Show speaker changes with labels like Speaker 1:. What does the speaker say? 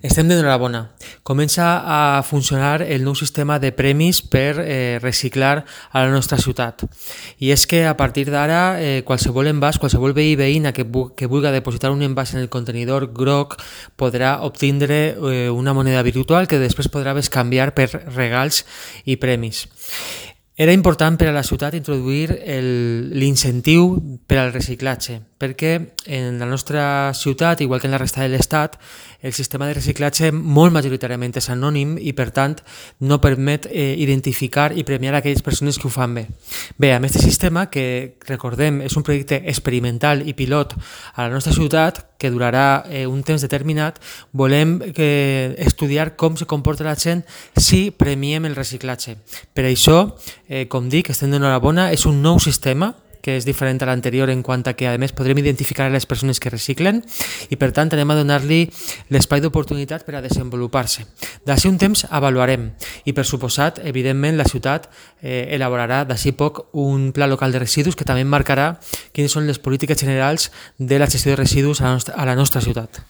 Speaker 1: Estem d'enhorabona. Comença a funcionar el nou sistema de premis per reciclar a la nostra ciutat. I és que a partir d'ara qualsevol envàs, qualsevol veí veïna que vulgui depositar un envàs en el contenidor groc podrà obtindre una moneda virtual que després podrà bescanviar per regals i premis. Era important per a la ciutat introduir l'incentiu per al reciclatge, perquè en la nostra ciutat, igual que en la resta de l'Estat, el sistema de reciclatge molt majoritàriament és anònim i, per tant, no permet identificar i premiar aquelles persones que ho fan bé. Bé, amb aquest sistema, que recordem és un projecte experimental i pilot a la nostra ciutat, que durarà un temps determinat, volem estudiar com se comporta la gent si premiem el reciclatge. Per això, com dic, estem d'enhorabona, és un nou sistema que és diferent a l'anterior en quant a que, a més, podrem identificar les persones que reciclen i, per tant, anem a donar-li l'espai d'oportunitat per a desenvolupar-se. D'ací un temps avaluarem i, per suposat, evidentment, la ciutat elaborarà d'ací poc un pla local de residus que també marcarà quines són les polítiques generals de la gestió de residus a la nostra ciutat.